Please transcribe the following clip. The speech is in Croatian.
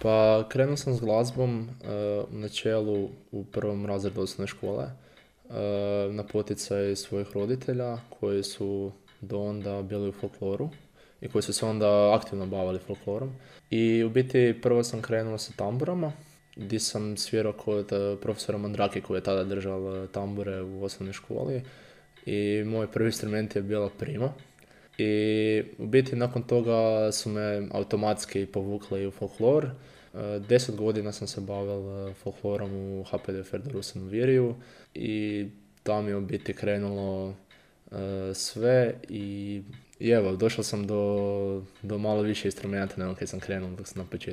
Pa krenuo sam s glazbom u načelu u prvom razredu osnovne škole na poticaj svojih roditelja koji su do onda bili u folkloru i koji su se onda aktivno bavili folklorom. I u biti prvo sam krenuo sa tamburama gdje sam svirao kod profesora Mandrake koji je tada držao tambure u osnovnoj školi i moj prvi instrument je bila prima. I u biti nakon toga su me automatski povukli u folklor. 10 godina sam se bavil folklorom u HPD Ferdorusen u Viriju i tamo je u biti krenulo sve i evo, došao sam do malo više instrumenta nego kad sam krenuo dok sam na početku.